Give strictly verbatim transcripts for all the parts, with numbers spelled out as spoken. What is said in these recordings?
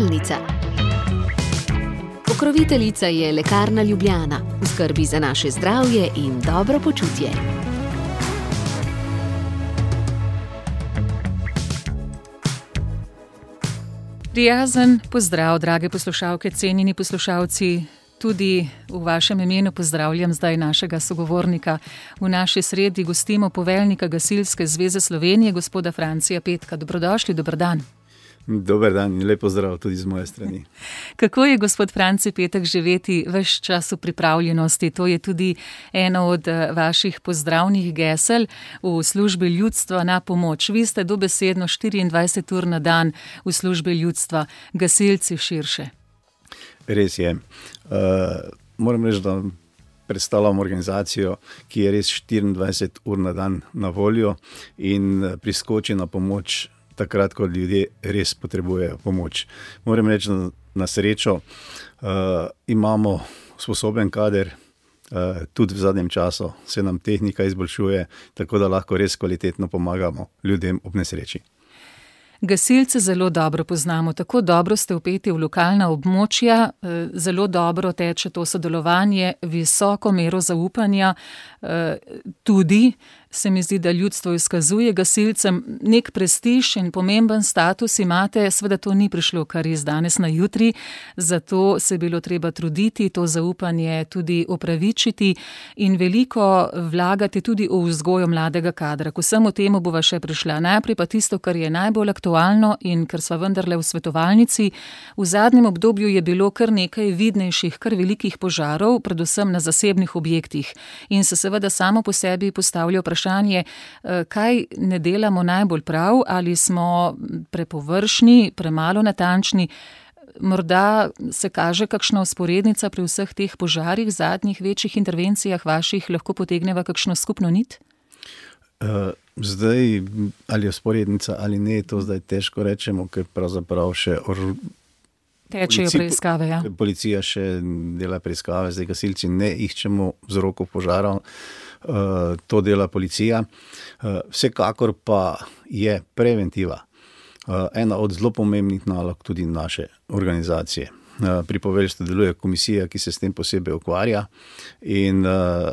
Zavarovalnica. Pokroviteljica je Lekarna Ljubljana, v skrbi za naše zdravje in dobro počutje. Prijazen pozdrav, drage poslušalke, cenjeni poslušalci. Tudi v vašem imenu pozdravljam zdaj našega sogovornika. V naši sredi gostimo poveljnika Gasilske zveze Slovenije, gospoda Francija Petka. Dobrodošli, dober dan. Dober dan in lep pozdrav tudi z moje strani. Kako je, gospod Franci Petek, živeti ves čas v pripravljenosti? To je tudi eno od vaših pozdravnih gesel v službi ljudstva na pomoč. Vi ste dobesedno štiriindvajset ur na dan v službi ljudstva, gasilci širše. Res je. Uh, moram reči, da predstavljam organizacijo, ki je res štiriindvajset ur na dan na voljo in priskoči na pomoč takrat, ko ljudje res potrebujejo pomoč. Moram reči, da na srečo uh, imamo sposoben kader, uh, tudi v zadnjem času se nam tehnika izboljšuje, tako da lahko res kvalitetno pomagamo ljudem ob nesreči. Gasilce zelo dobro poznamo, tako dobro ste vpeti v lokalna območja, zelo dobro teče to sodelovanje, visoko mero zaupanja, tudi se mi zdi, da ljudstvo izkazuje gasilcem nek prestiž in pomemben status imate, seveda to ni prišlo kar iz danes na jutri, zato se je bilo treba truditi, to zaupanje tudi opravičiti in veliko vlagati tudi v vzgojo mladega kadra. K vsemu temu bova še prišla. Najprej pa tisto, kar je najbolj aktualno in ker sva vendarle v svetovalnici. V zadnjem obdobju je bilo kar nekaj vidnejših, kar velikih požarov, predvsem na zasebnih objektih. In se seveda samo po sebi postavlja vprašanje, Vprašanje, kaj ne delamo najbolj prav, ali smo prepovršni, premalo natančni. Morda se kaže kakšna vzporednica pri vseh teh požarih, zadnjih večjih intervencijah vaših, lahko potegneva kakšno skupno nit? Uh, zdaj, ali je vzporednica ali ne, to zdaj težko rečemo, ker pravzaprav še or... tečejo preiskave. Ja. Policija še dela preiskave, zdaj gasilci ne iščemo vzrokov požarov. Uh, to dela policija. Uh, vsekakor pa je preventiva uh, ena od zelo pomembnih nalog tudi naše organizacije. Uh, pri poveljstvu deluje komisija, ki se s tem posebej ukvarja in uh,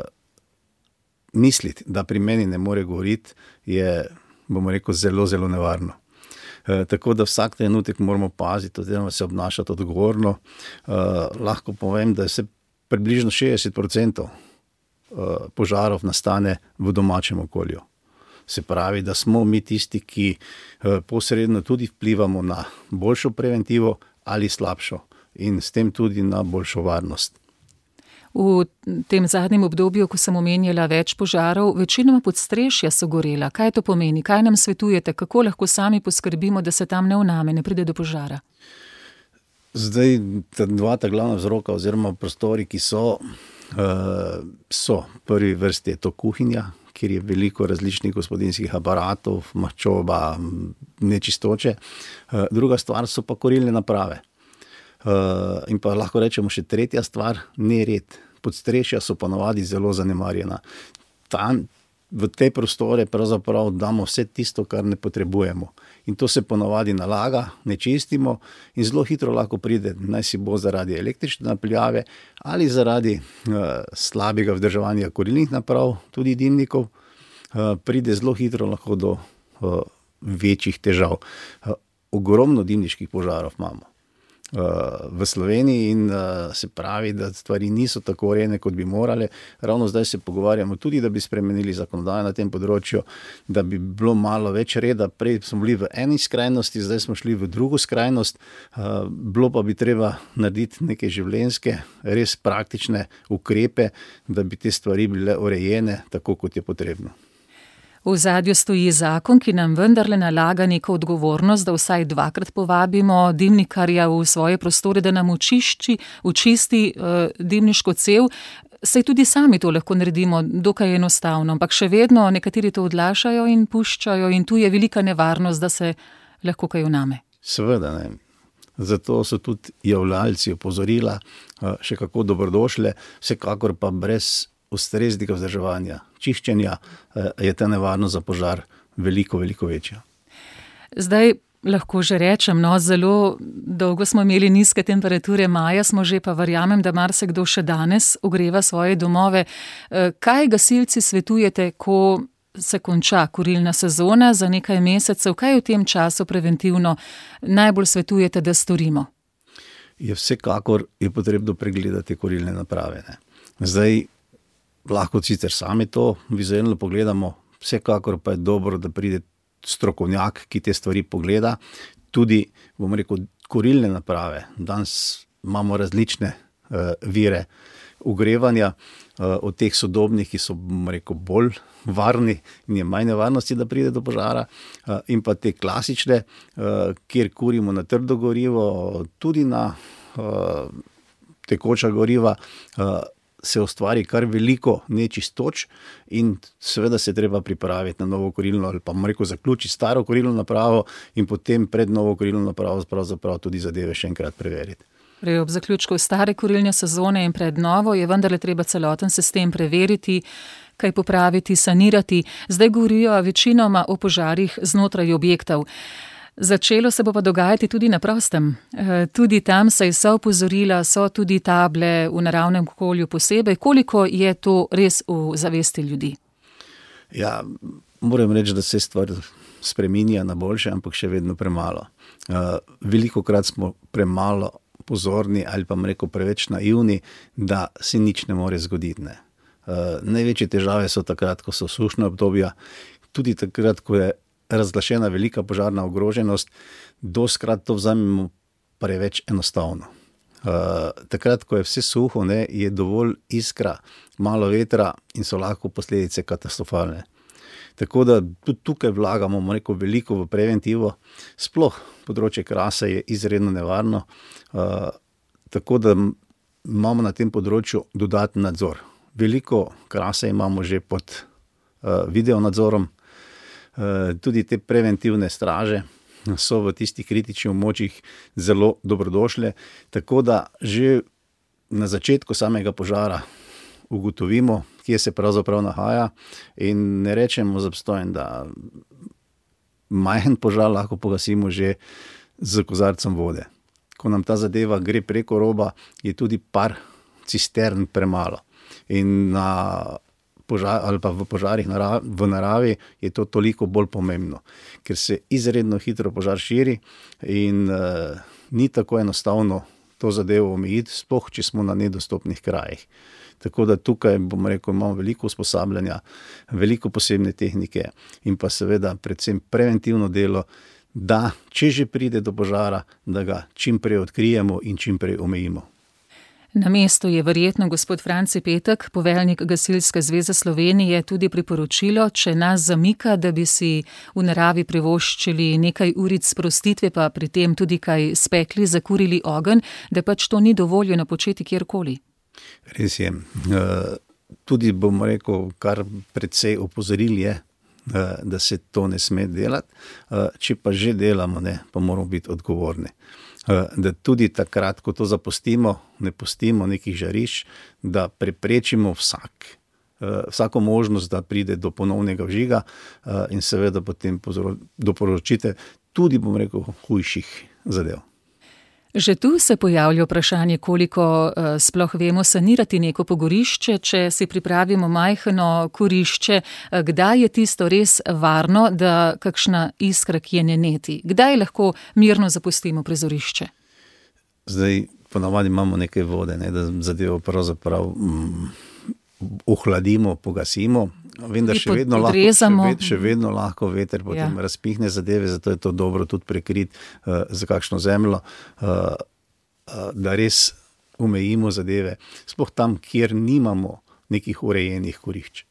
misliti, da pri meni ne more govoriti, je, bomo rekel, zelo, zelo nevarno. Uh, tako da vsak trenutek moramo paziti, oziroma se obnašati odgovorno. Uh, lahko povem, da se približno šestdeset procentov požarov nastane v domačem okolju. Se pravi, da smo mi tisti, ki posredno tudi vplivamo na boljšo preventivo ali slabšo in s tem tudi na boljšo varnost. V tem zadnjem obdobju, ko sem omenjala več požarov, večinoma podstrešja so gorela. Kaj to pomeni? Kaj nam svetujete? Kako lahko sami poskrbimo, da se tam ne vname, ne pride do požara? Zdaj, ta dva ta glavna vzroka oziroma prostori, ki so Uh, so. Prvi vrsti je to kuhinja, kjer je veliko različnih gospodinjskih aparatov, maščoba, nečistoče. Uh, druga stvar so pa kurilne naprave. Uh, in pa lahko rečemo še tretja stvar, nered. Podstrešja so ponavadi zelo zanemarjena. Tam, v te prostore pravzaprav damo vse tisto, kar ne potrebujemo. In to se ponavadi nalaga, ne čistimo in zelo hitro lahko pride, naj si bo zaradi električne napeljave ali zaradi uh, slabega vzdrževanja kurilnih naprav, tudi dimnikov, uh, pride zelo hitro lahko do uh, večjih težav. Uh, ogromno dimniških požarov imamo uh, v Sloveniji in uh, se pravi, da stvari niso tako urejene, kot bi morale. Ravno zdaj se pogovarjamo tudi, da bi spremenili zakonodajo na tem področju, da bi bilo malo več reda. Prej smo bili v eni skrajnosti, zdaj smo šli v drugo skrajnost. Uh, bilo pa bi treba narediti neke življenjske, res praktične ukrepe, da bi te stvari bile urejene tako, kot je potrebno. V ozadju stoji zakon, ki nam vendarle nalaga neko odgovornost, da vsaj dvakrat povabimo dimnikarja v svoje prostore, da nam očišči, očisti uh, dimniško cev. Saj tudi sami to lahko naredimo dokaj enostavno, ampak še vedno nekateri to odlašajo in puščajo in tu je velika nevarnost, da se lahko kaj vname. Seveda ne. Zato so tudi javljalci opozorila še kako dobrodošle, vsekakor pa brez ustreznega vzdrževanja, čiščenja je ta nevarnost za požar veliko, veliko večja. Zdaj, Lahko že rečem, no, zelo dolgo smo imeli nizke temperature, maja smo že, pa verjamem, da marsikdo še danes ogreva svoje domove. Kaj gasilci svetujete, ko se konča kurilna sezona za nekaj mesecev? Kaj v tem času preventivno najbolj svetujete, da storimo? Je vsekakor je potrebno pregledati kurilne naprave. Ne. Zdaj, lahko sicer sami to vizualno pogledamo, vsekakor pa je dobro, da pride strokovnjak, ki te stvari pogleda. Tudi, bom rekel, kurilne naprave. Danes imamo različne uh, vire ogrevanja, uh, od teh sodobnih, ki so, bom rekel, bolj varni in je manj nevarnosti, da pride do požara, uh, in pa te klasične, uh, kjer kurimo na trdo gorivo, tudi na uh, tekoča goriva, uh, se ustvari kar veliko nečistoč in seveda se treba pripraviti na novo kurilno ali pa, bom rekel, zaključiti staro kurilno napravo in potem pred novo kurilno napravo pravzaprav tudi zadeve še enkrat preveriti. Prej ob zaključku stare kurilne sezone in pred novo je vendarle treba celoten sistem preveriti, kaj popraviti, sanirati. Zdaj govorijo večinoma o požarih znotraj objektov. Začelo se bo pa dogajati tudi na prostem. Tudi tam se so opozorila, so tudi table v naravnem okolju posebej. Koliko je to res v zavesti ljudi? Ja, moram reči, da se stvar spreminja na boljše, ampak še vedno premalo. Velikokrat smo premalo pozorni ali pa, bom rekel, preveč naivni, da se nič ne more zgoditi. Ne. Največje težave so takrat, ko so sušna obdobja, tudi takrat, ko je razglašena velika požarna ogroženost, dostikrat to vzamemo preveč enostavno. Uh, takrat, ko je vse suho, ne, je dovolj iskra, malo vetra in so lahko posledice katastrofalne. Tako da tudi tukaj vlagamo, bomo rekel, veliko v preventivo. Sploh področje krase je izredno nevarno, uh, tako da imamo na tem področju dodaten nadzor. Veliko krase imamo že pod uh, video nadzorom. Tudi te preventivne straže so v tistih kritičnih območjih zelo dobrodošle, tako da že na začetku samega požara ugotovimo, kje se pravzaprav nahaja in ne rečemo z obstojem, da majhen požar lahko pogasimo že z kozarcem vode. Ko nam ta zadeva gre preko roba, je tudi par cistern premalo in na Požar, ali pa v požarih narav, v naravi je to toliko bolj pomembno, ker se izredno hitro požar širi in uh, ni tako enostavno to zadevo omejiti, sploh če smo na nedostopnih krajih. Tako da tukaj, bom rekel, imamo veliko usposabljanja, veliko posebne tehnike in pa seveda predvsem preventivno delo, da če že pride do požara, da ga čim prej odkrijemo in čim prej omejimo. Na mestu je verjetno gospod Franci Petek, poveljnik Gasilske zveze Slovenije, tudi priporočilo, če nas zamika, da bi si v naravi privoščili nekaj uric sprostitve, pa pri tem tudi kaj spekli, zakurili ogenj, da pač to ni dovoljeno početi kjerkoli. Res je. Tudi, bom rekel, kar precej opozoril je, da se to ne sme delati. Če pa že delamo, ne, pa moramo biti odgovorni. Da tudi takrat, ko to zapustimo, ne pustimo nekih žarišč, da preprečimo vsak, vsako možnost, da pride do ponovnega vžiga in seveda potem doporočite tudi, bom rekel, hujših zadev. Že tu se pojavlja vprašanje, koliko uh, sploh vemo sanirati neko pogorišče, če si pripravimo majhno kurišče, uh, kdaj je tisto res varno, da kakšna iskra kje ne neti? Kdaj lahko mirno zapustimo prizorišče? Zdaj, ponavadi imamo nekaj vode, ne, da zadevo pravzaprav mm, ohladimo, pogasimo. Vendar še vedno, lahko, še, ved, še vedno lahko veter potem ja. razpihne zadeve, zato je to dobro tudi prekriti uh, za kakšno zemljo, uh, uh, da res omejimo zadeve, sploh tam, kjer nimamo nekih urejenih kurišč.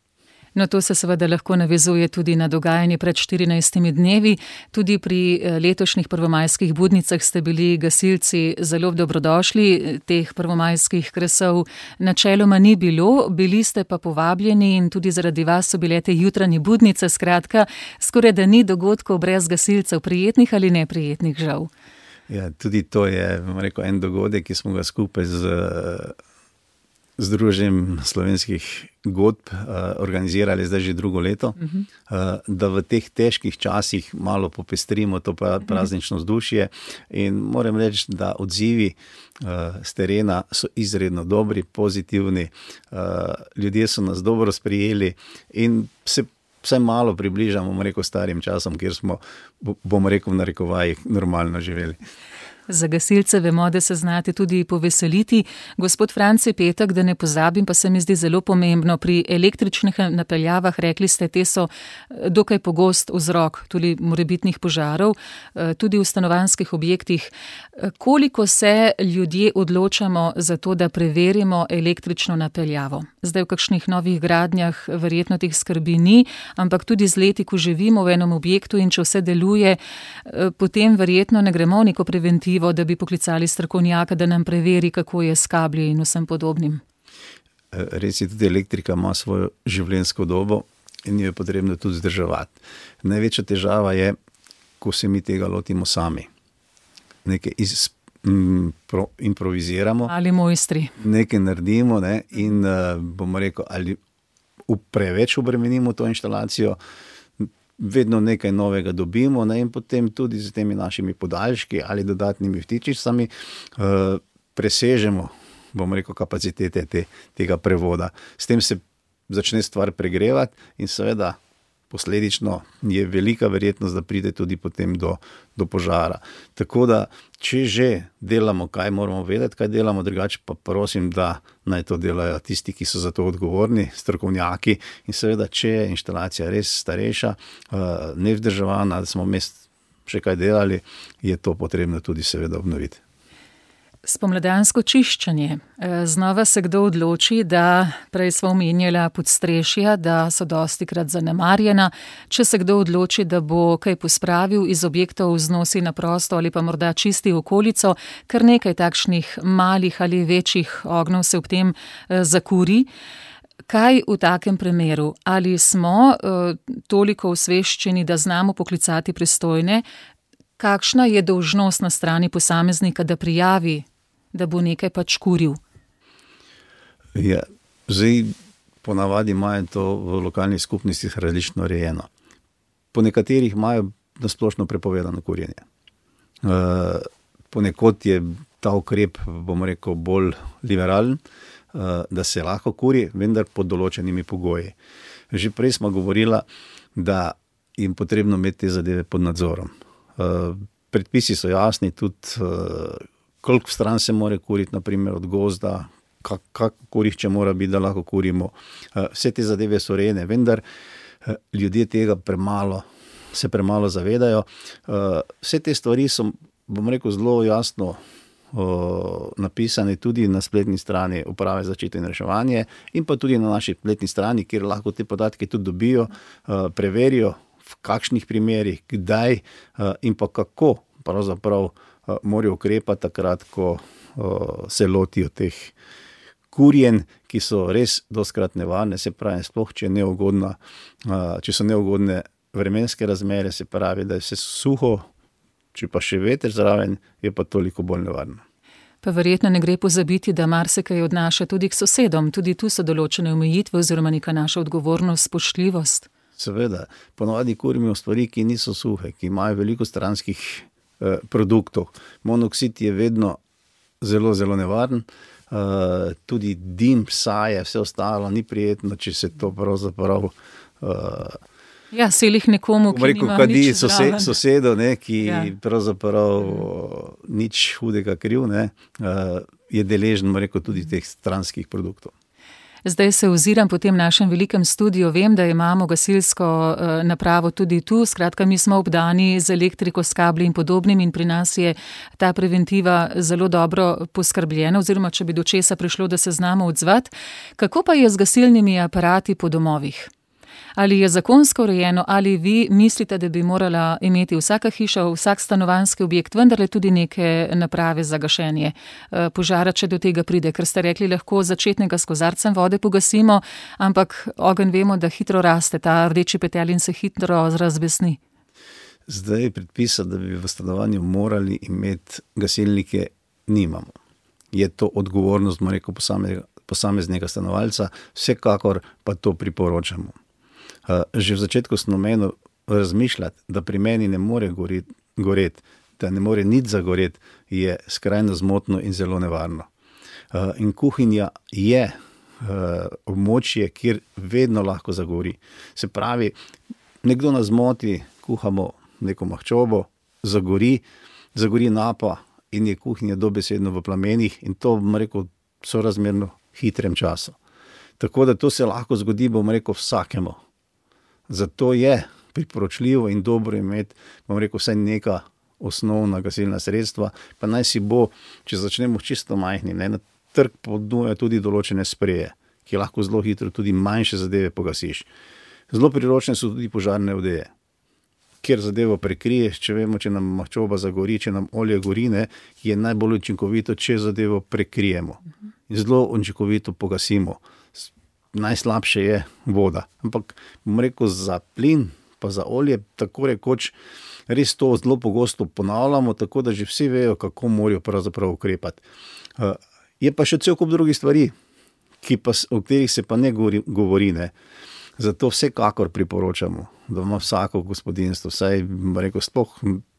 No, to se seveda lahko navezuje tudi na dogajanje pred štirinajstimi dnevi. Tudi pri letošnjih prvomajskih budnicah ste bili gasilci zelo dobrodošli. Teh prvomajskih kresov načeloma ni bilo, bili ste pa povabljeni in tudi zaradi vas so bile te jutranje budnice. Skratka, skoraj da ni dogodkov brez gasilcev, prijetnih ali neprijetnih, žal. Ja, tudi to je, bom rekel, en dogodek, ki smo ga skupaj z Združenjem slovenskih godb uh, organizirali zdaj že drugo leto, uh-huh. uh, da v teh težkih časih malo popestrimo to praznično vzdušje in moram reči, da odzivi uh, z terena so izredno dobri, pozitivni, uh, ljudje so nas dobro sprijeli in se vsaj malo približamo, bom rekel, starim časom, kjer smo, bom rekel, v narekovajih normalno živeli. Za gasilce vemo, da se znate tudi poveseliti. Gospod Franci Petek, da ne pozabim, pa se mi zdi zelo pomembno, pri električnih napeljavah, rekli ste, te so dokaj pogost vzrok tudi morebitnih požarov, tudi v stanovanjskih objektih. Koliko se ljudje odločamo za to, da preverimo električno napeljavo? Zdaj v kakšnih novih gradnjah verjetno teh skrbi ni, ampak tudi z leti, ko živimo v enem objektu in če vse deluje, potem verjetno ne gremo v neko preventivo, da bi poklicali strokovnjaka, da nam preveri, kako je s kabli in vsem podobnim. Res je, tudi elektrika ima svojo življenjsko dobo in jo je potrebno tudi vzdrževati. Največja težava je, ko se mi tega lotimo sami. Nekaj iz, m, pro, improviziramo. Ali mojstri. Nekaj naredimo, ne, in uh, bomo rekel, ali preveč obremenimo to inštalacijo, vedno nekaj novega dobimo, ne, in potem tudi z temi našimi podaljški ali dodatnimi vtičicami uh, presežemo, bomo rekel, kapacitete te, tega prevoda. S tem se začne stvar pregrevati in seveda posledično je velika verjetnost, da pride tudi potem do, do požara. Tako da, če že delamo, kaj moramo vedeti, kaj delamo, drugače pa prosim, da naj to delajo tisti, ki so za to odgovorni, strokovnjaki, in seveda, če je inštalacija res starejša, nevzdrževana, da smo mest še kaj delali, je to potrebno tudi seveda obnoviti. Spomladansko čiščenje. Znova se kdo odloči, da prej smo omenjala podstrešja, da so dostikrat zanemarjena. Če se kdo odloči, da bo kaj pospravil iz objektov, vznosi na prosto ali pa morda čisti okolico, kar nekaj takšnih malih ali večjih ognjev se ob tem zakuri. Kaj v takem primeru? Ali smo uh, toliko osveščeni, da znamo poklicati pristojne? Kakšna je dolžnost na strani posameznika, da prijavi, da bo nekaj pač kuril? Ja, zdaj ponavadi imajo to v lokalnih skupnostih različno rejeno. Po nekaterih imajo nasplošno prepovedano kurjenje. Uh, ponekod je ta ukrep, bom rekel, bolj liberalen, uh, da se lahko kuri, vendar pod določenimi pogoji. Že prej smo govorila, da je potrebno imeti te zadeve pod nadzorom. Uh, predpisi so jasni, tudi uh, koliko stran se more kuriti, naprimer od gozda, kak, kak kurišče mora biti, da lahko kurimo. Uh, vse te zadeve so rejene, vendar uh, ljudje tega premalo, se premalo zavedajo. Uh, vse te stvari so, bom rekel, zelo jasno uh, napisane tudi na spletni strani Uprave za zaščito in reševanje in pa tudi na naši spletni strani, kjer lahko te podatke tudi dobijo, uh, preverijo, v kakšnih primerih, kdaj uh, in pa kako pravzaprav uh, morajo ukrepati takrat, ko uh, se lotijo teh kurjen, ki so res dostikrat nevarne, se pravi, sploh če, neugodna, uh, če so neugodne vremenske razmere, se pravi, da je vse suho, če pa še veter zraven, je pa toliko bolj nevarno. Pa verjetno ne gre pozabiti, da marsikaj odnaša tudi k sosedom, tudi tu so določene omejitve oziroma neka naša odgovornost, spoštljivost. Seveda, ponovadi kurimo stvari, ki niso suhe, ki imajo veliko stranskih eh, produktov. Monoksid je vedno zelo, zelo nevaren, eh, tudi dim, saje, vse ostalo ni prijetno, če se to pravzaprav... Eh, ja, selih nekomu, ki rekel, nima kadi nič sose, zraven. sosedo, ne, ki Ja. pravzaprav nič hudega kriv, ne, eh, je deležen, rekel, tudi teh stranskih produktov. Zdaj se oziram po tem našem velikem studiu, vem, da imamo gasilsko uh, napravo tudi tu, skratka mi smo obdani z elektriko, s kabli in podobnim in pri nas je ta preventiva zelo dobro poskrbljena, oziroma če bi do česa prišlo, da se znamo odzvati. Kako pa je z gasilnimi aparati po domovih? Ali je zakonsko urejeno, ali vi mislite, da bi morala imeti vsaka hiša, vsak stanovanjski objekt, vendarle tudi neke naprave za gašenje požara, če do tega pride? Ker ste rekli, lahko začetnega s kozarcem vode pogasimo, ampak ogenj vemo, da hitro raste, ta rdeči petelj in se hitro razbesni. Zdaj predpisa, da bi v stanovanju morali imeti gasilnike, nimamo. Je to odgovornost, bom rekel, posameznega, posameznega stanovalca, vsekakor pa to priporočamo. Že v začetku sem omenil razmišljati, da pri meni ne more goreti, goret, da ne more nič zagoreti, je skrajno zmotno in zelo nevarno. In kuhinja je območje, kjer vedno lahko zagori. Se pravi, nekdo nas zmoti, kuhamo neko mahčobo, zagori, zagori napa in je kuhinja dobesedno v plamenih in to, bom rekel, sorazmerno hitrem času. Tako da to se lahko zgodi, bom rekel, vsakemu. Zato je priporočljivo in dobro imeti, bom rekel, vsaj neka osnovna gasilna sredstva, pa naj si bo, če začnemo čisto majhni, ne, na trg ponujajo tudi določene spreje, ki lahko zelo hitro tudi manjše zadeve pogasiš. Zelo priročne so tudi požarne odeje, kjer zadevo prekriješ, če vemo, če nam maščoba zagori, če nam olje gorine, je najbolj učinkovito, če zadevo prekrijemo. In zelo učinkovito pogasimo. Najslabše je voda. Ampak, bom rekel, za plin, pa za olje, tako rekoč, res to zelo pogosto ponavljamo, tako da že vsi vejo, kako morajo pravzaprav ukrepati. Je pa še cel kup drugih stvari, ki pa, o katerih se pa ne govori, govori, ne. Zato vsekakor priporočamo, da ima vsako gospodinjstvo, vsaj, bom rekel, sploh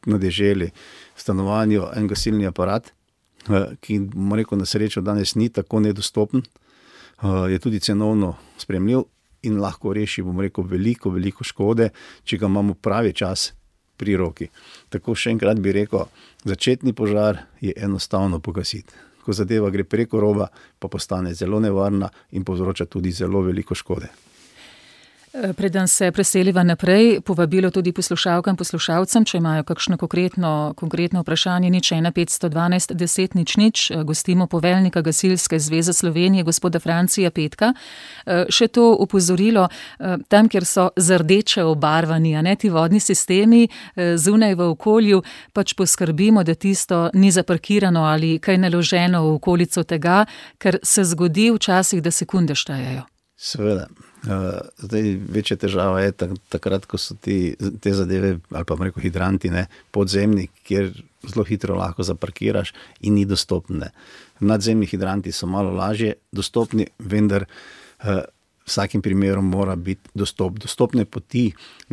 na deželi, v stanovanju en gasilni aparat, ki, bom rekel, na srečo danes ni tako nedostopen, je tudi cenovno sprejemljiv in lahko reši, bom rekel, veliko, veliko škode, če ga imamo pravi čas pri roki. Tako še enkrat bi rekel, začetni požar je enostavno pogasiti. Ko zadeva gre preko roba, pa postane zelo nevarna in povzroča tudi zelo veliko škode. Preden se preseliva naprej, povabilo tudi poslušalkam, poslušalcem, če imajo kakšno konkretno, konkretno vprašanje, nič ena petsto dvanajst deset nič nič, gostimo poveljnika Gasilske zveze Slovenije, gospoda Francija Petka. Še to opozorilo, tam, kjer so zardeče obarvani, a ne ti vodni sistemi, zunaj v okolju, pač poskrbimo, da tisto ni zaparkirano ali kaj naloženo v okolico tega, ker se zgodi včasih, da sekunde štejejo. Seveda. Uh, zdaj, večja težava je tak, takrat, ko so ti, te zadeve, ali pa rekel hidranti, ne, podzemni, kjer zelo hitro lahko zaparkiraš in ni dostopne. Nadzemni hidranti so malo lažje dostopni, vendar uh, vsakim primerom mora biti dostop. Dostopne poti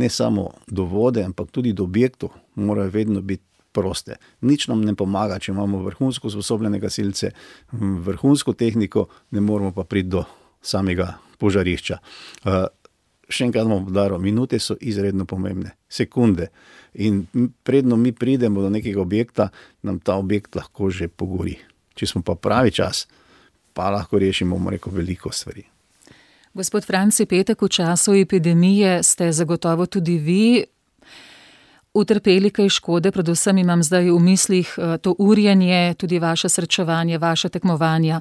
ne samo do vode, ampak tudi do objektov morajo vedno biti proste. Nič nam ne pomaga, če imamo vrhunsko usposobljene gasilce, vrhunsko tehniko, ne moramo pa priti do samega požarišča. Uh, še enkrat bom poudaril, minute so izredno pomembne, sekunde. In predno mi pridemo do nekega objekta, nam ta objekt lahko že pogori. Če smo pa pravi čas, pa lahko rešimo, bomo rekel, veliko stvari. Gospod Franci Petek, v času epidemije ste zagotovo tudi vi utrpeli kaj škode, predvsem imam zdaj v mislih to urjenje, tudi vaše srečevanje, vaše tekmovanja.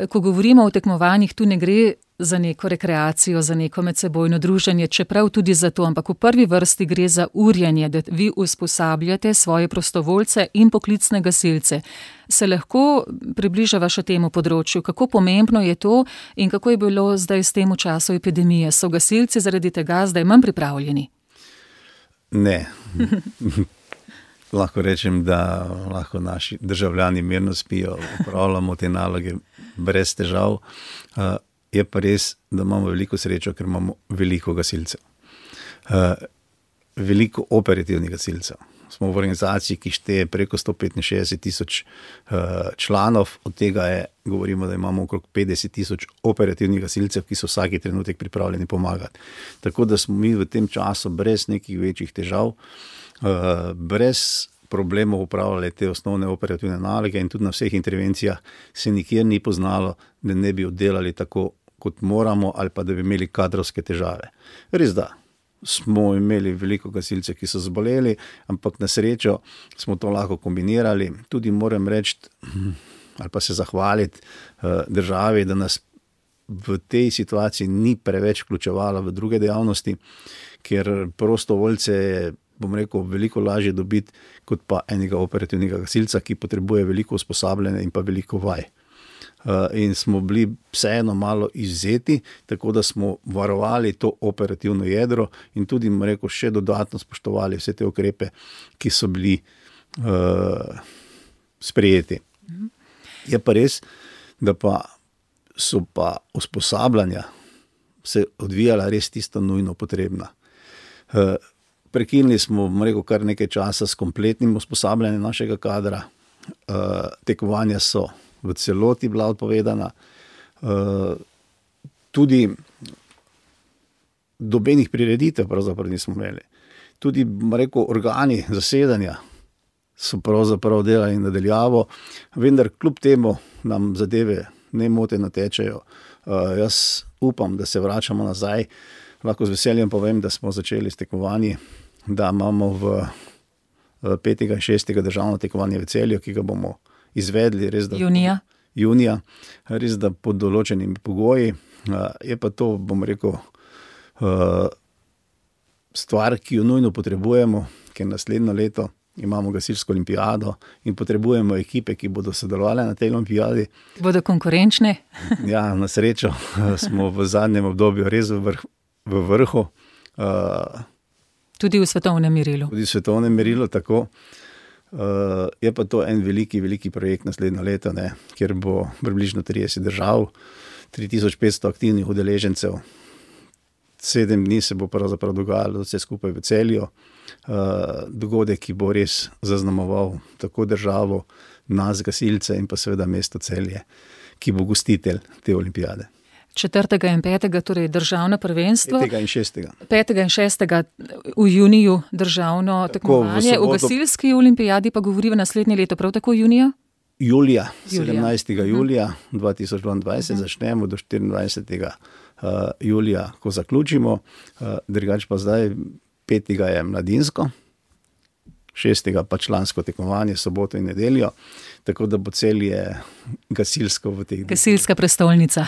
Ko govorimo o tekmovanjih, tu ne gre za neko rekreacijo, za neko medsebojno druženje, čeprav tudi za to, ampak v prvi vrsti gre za urjenje, da vi usposabljate svoje prostovoljce in poklicne gasilce. Se lahko približava še temu področju, kako pomembno je to in kako je bilo zdaj s tem v času epidemije? So gasilci zaradi tega zdaj manj pripravljeni? Ne. Lahko rečem, da lahko naši državljani mirno spijo, upravljamo te naloge brez težav. Uh, je pa res, da imamo veliko srečo, ker imamo veliko gasilcev. Uh, veliko operativnih gasilcev. Smo v organizaciji, ki šteje preko sto petinšestdeset tisoč uh, članov, od tega je, govorimo, da imamo okrog petdeset tisoč operativnih gasilcev, ki so vsaki trenutek pripravljeni pomagati. Tako da smo mi v tem času brez nekih večjih težav, uh, brez problemov upravljali te osnovne operativne naloge in tudi na vseh intervencijah se nikjer ni poznalo, da ne bi oddelali tako, kot moramo, ali pa da bi imeli kadrovske težave. Res da. Smo imeli veliko gasilcev, ki so zboleli, ampak na srečo smo to lahko kombinirali. Tudi moram reči, ali pa se zahvaliti uh, državi, da nas v tej situaciji ni preveč vključevala v druge dejavnosti, ker prostovoljce je, bom rekel, veliko lažje dobiti, kot pa enega operativnega gasilca, ki potrebuje veliko usposabljanja in pa veliko vaj. Uh, in smo bili vseeno malo izzeti, tako da smo varovali to operativno jedro in tudi, bom rekel, še dodatno spoštovali vse te ukrepe, ki so bili uh, sprejeti. Je pa res, da pa so pa usposabljanja se odvijala res tisto nujno potrebna. Prekinili smo, bom rekel, kar nekaj časa s kompletnim usposabljanjem našega kadra. Tekmovanja so v celoti bila odpovedana. Tudi dobenih prireditev pravzaprav nismo imeli. Tudi, bom rekel, organi zasedanja so pravzaprav delali nadaljavo, vendar kljub temu nam zadeve nemoteno tečejo. Jaz upam, da se vračamo nazaj. Lahko z veseljem povem, da smo začeli s tekmovanji, da imamo v petega in šestega državno tekmovanje v Celju, ki ga bomo izvedli res da junija. junija, res da pod določenimi pogoji. Je pa to, bom rekel, stvar, ki jo nujno potrebujemo, ker naslednjo leto imamo gasilsko olimpijado in potrebujemo ekipe, ki bodo sodelovali na tej olimpijadi. Bodo konkurenčne? Ja, na srečo smo v zadnjem obdobju res v, vrh, v vrhu. Tudi v svetovnem merilu. Tudi v svetovnem merilu, tako. Je pa to en veliki, veliki projekt naslednjo leto, ne, kjer bo približno trideset držav, tri tisoč petsto aktivnih udeležencev. Sedem dni se bo pravzaprav dogajalo vse skupaj v Celju. Dogodek, ki bo res zaznamoval tako državo, nas, gasilce in pa seveda mesto Celje, ki bo gostitelj te olimpijade. Četrtega in petega, torej državno prvenstvo. Petega in šestega. Petega in šestega v juniju državno tekmovanje. V, v gasilski olimpijadi pa govori v naslednje leto, prav tako junija? Julija, sedemnajstega julija dva tisoč dvaindvajset uh-huh. začnemo do štiriindvajsetega julija, ko zaključimo. Drugače pa zdaj petega je mladinsko, šestega pa člansko tekmovanje, soboto in nedeljo, tako da bo Celje gasilsko v teh dneh. Gasilska prestolnica.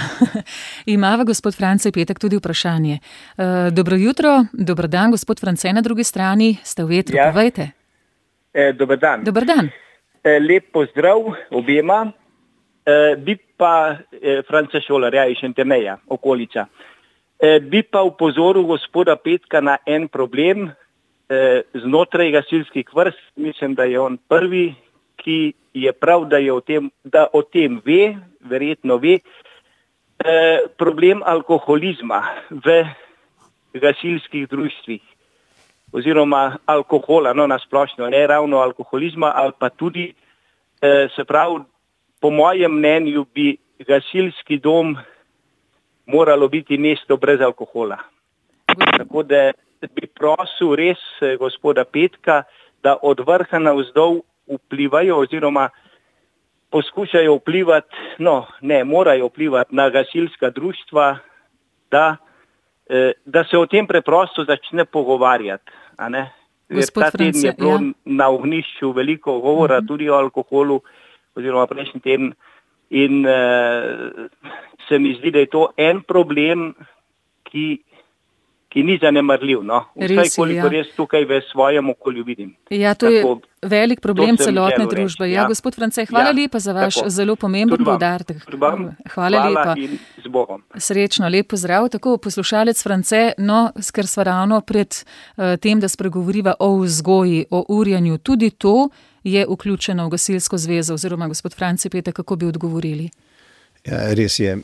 Imava gospod France Petek tudi vprašanje. Dobro jutro, dober dan, gospod France na drugi strani, ste v etru, ja. Povejte. E, dober dan. Dober dan. E, lep pozdrav objema. E, bi pa e, France Šolarja iz Šentjerneja, okolica. E, bi pa upozoril gospoda Petka na en problem e, znotraj gasilskih vrst. Mislim, da je on prvi, ki je prav, da, je o, tem, da o tem ve, verjetno ve, e, problem alkoholizma v gasilskih društvih oziroma alkohola, no nasplošno, ne ravno alkoholizma, ali pa tudi, e, se pravi, po mojem mnenju bi gasilski dom moralo biti mesto brez alkohola. Tako da bi prosil res gospoda Petka, da od vrha navzdol vplivajo oziroma poskušajo vplivati, no ne, morajo vplivati na gasilska društva, da, da se o tem preprosto začne pogovarjati. A ne? Ta teden je bilo ja. na ognjišču veliko govora uh-huh. tudi o alkoholu, oziroma prejšnji teden, in uh, se mi zdi, da je to en problem, ki, ki ni zanemarljiv. No? Vsaj koliko ja. res tukaj v svojem okolju vidim. Ja, to Tako, je velik problem celotne družbe. Ja, ja, gospod France, hvala ja, lepa za vaš Tako. zelo pomemben poudarek. Hvala, hvala lepa. In z Bogom. Srečno, lep pozdrav. Tako, poslušalec France, no, ker sva ravno pred uh, tem, da spregovoriva o vzgoji, o urjanju, tudi to je vključeno v gasilsko zvezo, oziroma gospod France Petek, kako bi odgovorili? Ja, res je.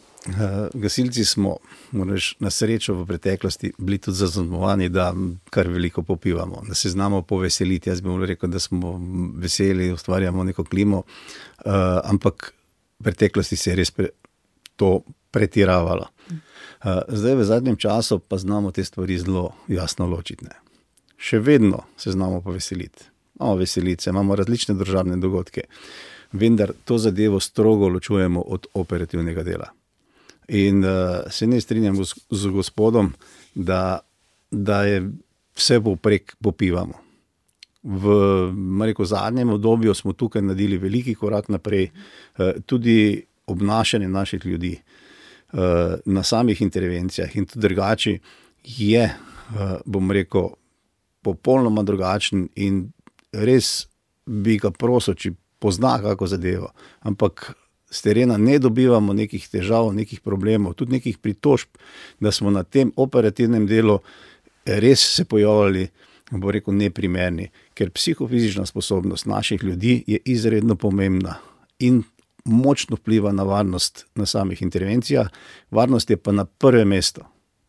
Gasilci smo, moraš na srečo v preteklosti, bili tudi zaznamovani, da kar veliko popivamo, da se znamo poveseliti. Jaz bi mu rekel, da smo veseli, ustvarjamo neko klimo, ampak v preteklosti se je res pre, to pretiravalo. Zdaj v zadnjem času pa znamo te stvari zelo jasno ločiti. Ne. Še vedno se znamo poveseliti. Imamo veselice, imamo različne državne dogodke, vendar to zadevo strogo ločujemo od operativnega dela. In uh, se ne strinjam z, z gospodom, da, da je vse poprek popivamo. V rekel, zadnjem obdobju smo tukaj naredili veliki korak naprej, uh, tudi obnašanje naših ljudi uh, na samih intervencijah in tudi drugače je, uh, bom rekel, popolnoma drugačen in res bi ga prosil, či pozna kako zadevo, ampak s terena ne dobivamo nekih težav, nekih problemov, tudi nekih pritožb, da smo na tem operativnem delu res se pojavljali, bo rekel, neprimerni, ker psihofizična sposobnost naših ljudi je izredno pomembna in močno vpliva na varnost na samih intervencijah. Varnost je pa na prvem mestu.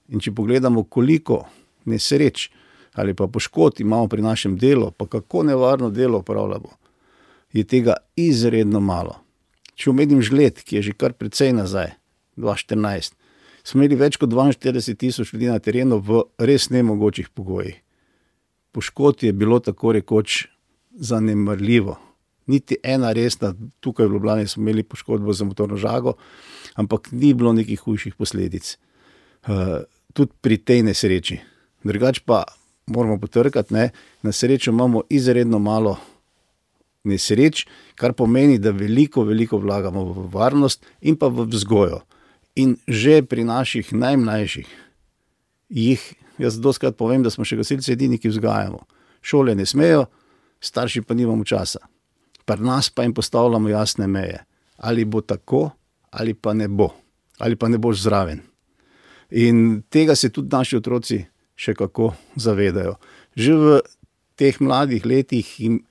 In če pogledamo, koliko nesreč ali pa poškodb imamo pri našem delu, pa kako nevarno delo opravljamo, je tega izredno malo. Če omenim žled, ki je že kar precej nazaj, dva tisoč štirinajst, smo imeli več kot dvainštirideset tisoč ljudi na terenu v res nemogočih pogojih. Poškodb je bilo tako rekoč zanemarljivo. Niti ena resna, tukaj v Ljubljani smo imeli poškodbo za motorno žago, ampak ni bilo nekih hujših posledic. Uh, tudi pri tej nesreči. Drugač pa moramo potrkati, ne, na srečo imamo izredno malo nesreč, kar pomeni, da veliko, veliko vlagamo v varnost in pa v vzgojo. In že pri naših najmlajših jih, jaz dostikrat povem, da smo še gasilci edini, ki vzgajamo. Šole ne smejo, starši pa nimamo časa. Pri nas pa jim postavljamo jasne meje. Ali bo tako, ali pa ne bo. Ali pa ne boš zraven. In tega se tudi naši otroci še kako zavedajo. Že v teh mladih letih jim,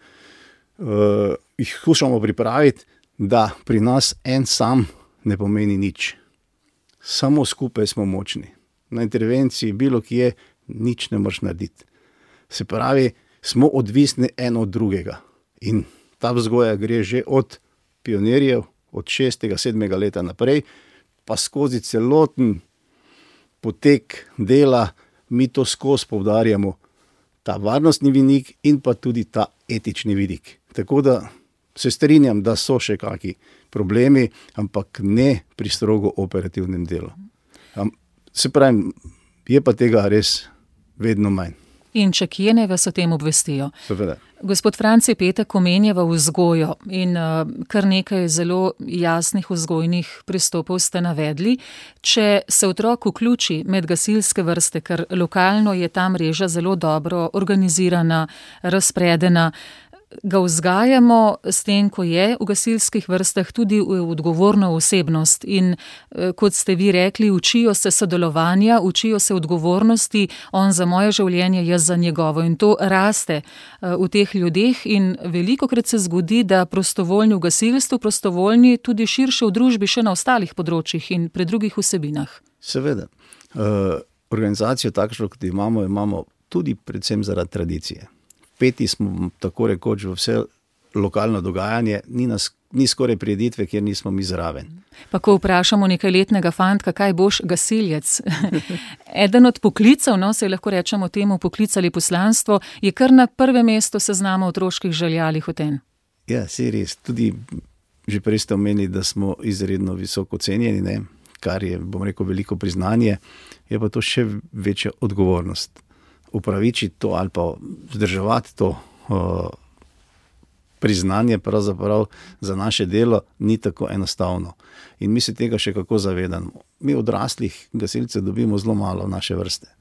uh, jih skušamo pripraviti, da pri nas en sam ne pomeni nič. Samo skupaj smo močni. Na intervenciji bilo kje nič ne moreš narediti. Se pravi, smo odvisni en od drugega. In ta vzgoja gre že od pionirjev, od šestega, sedmega leta naprej, pa skozi celoten potek dela, mi to skozi poudarjamo, ta varnostni vidik in pa tudi ta etični vidik. Tako da se strinjam, da so še kaki problemi, ampak ne pri strogo operativnem delu. Se pravi, je pa tega res vedno manj. In če kje ne, vas o tem obvestijo. Seveda. Gospod Franci Petek omenjava vzgojo in uh, kar nekaj zelo jasnih vzgojnih pristopov ste navedli. Če se otrok vključi med gasilske vrste, ker lokalno je ta mreža zelo dobro organizirana, razpredena, ga vzgajamo s tem, ko je v gasilskih vrstah tudi v odgovorno osebnost in kot ste vi rekli, učijo se sodelovanja, učijo se odgovornosti, on za moje življenje, jaz za njegovo in to raste v teh ljudeh in velikokrat se zgodi, da prostovoljni v gasilstvu, prostovoljni tudi širše v družbi še na ostalih področjih in pri drugih vsebinah. Seveda. Uh, organizacijo takšno, kot imamo, imamo tudi predvsem zaradi tradicije. Peti smo tako rekoč v vse lokalno dogajanje, ni, nas, ni skoraj prireditve, kjer nismo mi zraven. Pa ko vprašamo nekaj letnega fantka, kaj boš gasilec? Eden od poklicev, no, se lahko rečemo temu poklic ali poslanstvo, je kar na prvem mestu seznama otroških želja ali hotenj. Ja, saj res. Tudi že prej ste omenili, da smo izredno visoko cenjeni, ne? Kar je, bom rekel, veliko priznanje, je pa to še večja odgovornost. Upravičiti to ali pa vzdrževati to uh, priznanje pravzaprav za naše delo ni tako enostavno. In mi se tega še kako zavedamo. Mi odraslih gasilcev dobimo zelo malo v naše vrste.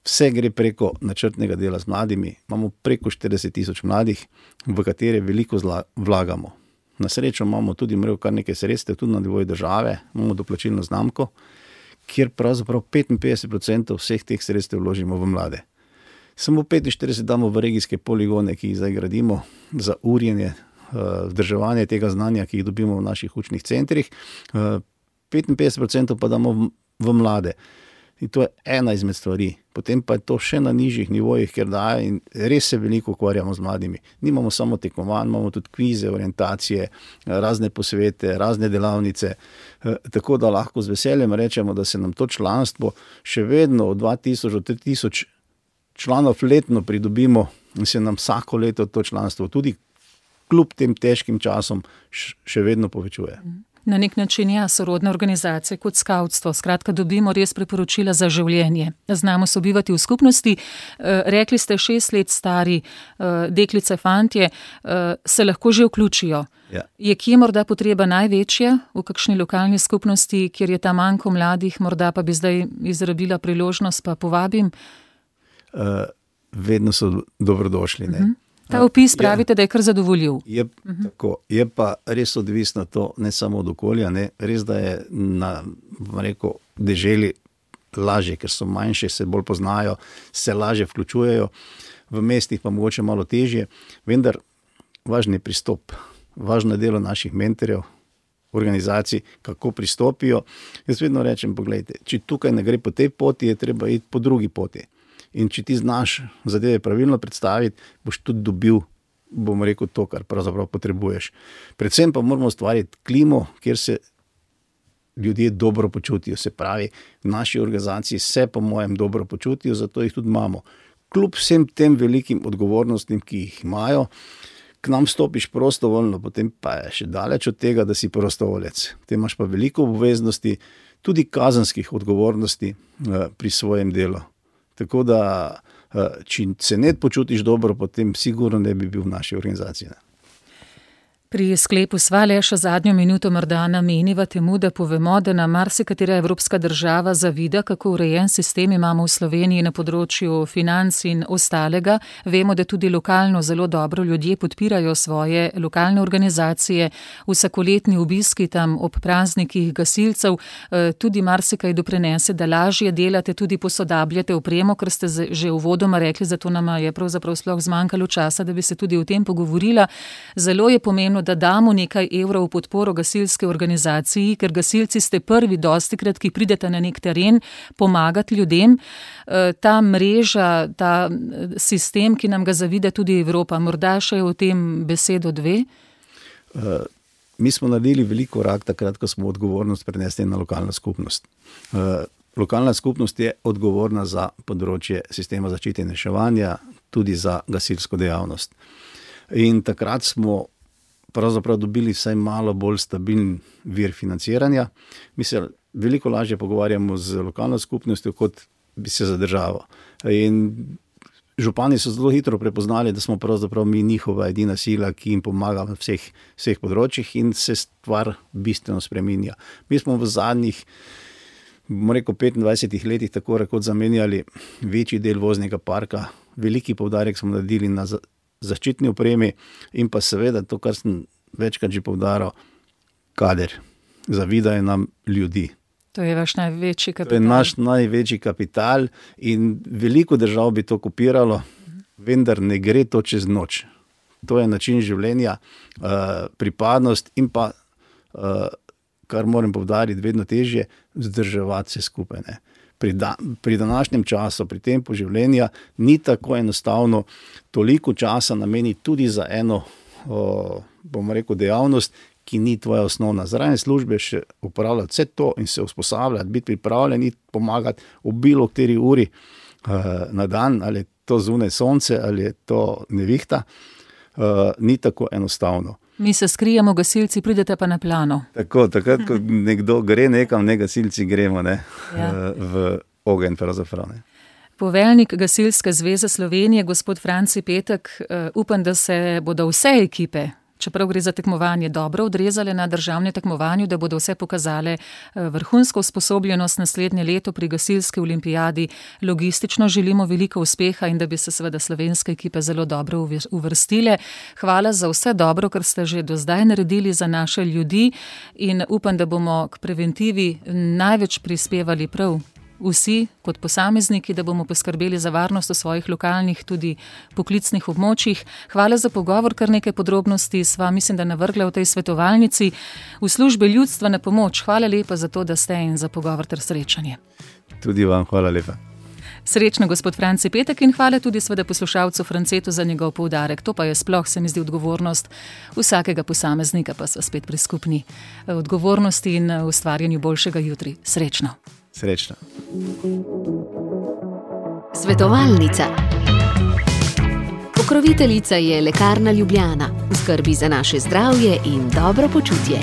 Vse gre preko načrtnega dela z mladimi. Imamo preko štirideset tisoč mladih, v katere veliko zla, vlagamo. Na srečo imamo tudi mrejo kar nekaj sredstev, tudi na nivoju države, imamo doplačilno znamko, kjer pravzaprav petinpetdeset procentov vseh teh sredstev vložimo v mlade. Samo petinštirideset damo v regijske poligone, ki jih zdaj gradimo za urjenje, vzdrževanje tega znanja, ki jih dobimo v naših učnih centrih. petinpetdeset procentov pa damo v, v mlade. In to je ena izmed stvari. Potem pa je to še na nižjih nivojih, ker daje in res se veliko ukvarjamo z mladimi. Nimamo samo tekmovanj, imamo tudi kvize, orientacije, razne posvete, razne delavnice. Tako da lahko z veseljem rečemo, da se nam to članstvo še vedno od dva tisoč do tri tisoč članov letno pridobimo in se nam vsako leto to članstvo tudi kljub tem težkim časom še vedno povečuje. Na nek način ja, sorodne organizacije kot skavtstvo. Skratka, dobimo res priporočila za življenje. Znamo sobivati v skupnosti. E, rekli ste, šest let stari e, deklice, fantje, e, se lahko že vključijo. Ja. Je kje morda potreba največja v kakšni lokalni skupnosti, kjer je ta manjko mladih, morda pa bi zdaj izrabila priložnost, pa povabim? E, vedno so dobrodošli, ne? Uh-huh. Ta opis pravite, ja, da je kar zadovoljiv. Je, uh-huh. tako, je pa res odvisno to ne samo od okolja, ne? Res, da je na rekel, deželi lažje, ker so manjše, se bolj poznajo, se lažje vključujejo, v mestih pa mogoče malo težje, vendar važen je pristop. važno je delo naših mentorjev, organizacij, kako pristopijo. Jaz vedno rečem, pogledajte, če tukaj ne gre po tej poti, je treba iti po drugi poti. In če ti znaš zadeve pravilno predstaviti, boš tudi dobil, bom rekel, to, kar pravzaprav potrebuješ. Predvsem pa moramo ustvariti klimo, kjer se ljudje dobro počutijo. Se pravi, v naši organizaciji se po mojem dobro počutijo, zato jih tudi imamo. Kljub vsem tem velikim odgovornostim, ki jih imajo, k nam stopiš prostovoljno, potem pa je še daleč od tega, da si prostovoljec. Te imaš pa veliko obveznosti, tudi kazenskih odgovornosti pri svojem delu. Tako da, če se ne počutiš dobro, potem sigurno ne bi bil v naši organizaciji. Pri sklepu sva le še zadnjo minuto morda nameniva temu, da povemo, da nam marsikatera evropska država zavida, kako urejen sistem imamo v Sloveniji na področju financ in ostalega. Vemo, da tudi lokalno zelo dobro ljudje podpirajo svoje lokalne organizacije, vsakoletni obiski tam ob praznikih gasilcev, tudi marsikaj doprinese, da lažje delate, tudi posodabljate opremo, ker ste že uvodoma rekli, zato nama je pravzaprav sploh zmanjkalo časa, da bi se tudi o tem pogovorila. Zelo je pomembno, da damo nekaj evrov v podporo gasilske organizaciji, ker gasilci ste prvi dostikrat, ki pridete na nek teren pomagati ljudem. Ta mreža, ta sistem, ki nam ga zavida tudi Evropa, morda še o tem besedo dve? Uh, mi smo naredili veliko korak takrat, ko smo odgovornost prenesli na lokalno skupnost. Uh, lokalna skupnost je odgovorna za področje sistema zaščite in reševanja, tudi za gasilsko dejavnost. In takrat smo pravzaprav dobili vsaj malo bolj stabilen vir financiranja. Mi se veliko lažje pogovarjamo z lokalno skupnostjo, kot bi se za državo. In župani so zelo hitro prepoznali, da smo pravzaprav mi njihova edina sila, ki jim pomaga v vseh, vseh področjih in se stvar bistveno spreminja. Mi smo v zadnjih, bomo rekel, petindvajsetih letih tako rekoč zamenjali večji del voznega parka. Veliki poudarek smo naredili na zaščitni opremi in pa seveda to, kar sem večkrat že poudaril, kader. Zavidajo nam ljudi. To je vaš največji kapital. To je naš največji kapital in veliko držav bi to kopiralo, vendar ne gre to čez noč. To je način življenja, pripadnost in pa, kar moram poudariti, vedno težje vzdrževati se skupaj, ne. Pri, da, pri današnjem času, pri tempu življenja, ni tako enostavno toliko časa nameniti tudi za eno, o, bomo rekel, dejavnost, ki ni tvoja osnovna. Zraven službe še upravljati vse to in se usposabljati, biti pripravljen in pomagati v bilo kateri uri uh, na dan, ali je to zunaj sonce, ali je to nevihta, uh, ni tako enostavno. Mi se skrijemo, gasilci, pridete pa na plano. Tako, takrat, ko nekdo gre nekam, ne gasilci gremo, ne, ja. v ogenj pravzaprav, ne. Poveljnik Gasilske zveze Slovenije, gospod Franci Petek, upam, da se bodo vse ekipe, čeprav gre za tekmovanje, dobro odrezale na državnem tekmovanju, da bodo vse pokazale vrhunsko usposobljenost naslednje leto pri gasilski olimpijadi. Logistično želimo veliko uspeha in da bi se seveda slovenske ekipe zelo dobro uvrstile. Hvala za vse dobro, kar ste že do zdaj naredili za naše ljudi in upam, da bomo k preventivi največ prispevali prav vsi kot posamezniki, da bomo poskrbeli za varnost v svojih lokalnih, tudi poklicnih območjih. Hvala za pogovor, kar nekaj podrobnosti sva, mislim, da navrgla v tej svetovalnici v službi ljudstva na pomoč. Hvala lepa za to, da ste in za pogovor ter srečanje. Tudi vam hvala lepa. Srečno, gospod Franci Petek, in hvala tudi seveda poslušalcu Francetu za njegov poudarek. To pa je sploh, se mi zdi, odgovornost vsakega posameznika, pa sva spet pri skupni odgovornosti in ustvarjanju boljšega jutri. Srečno. Srečno. Svetovalnica. Pokroviteljica je Lekarna Ljubljana. V skrbi za naše zdravje in dobro počutje.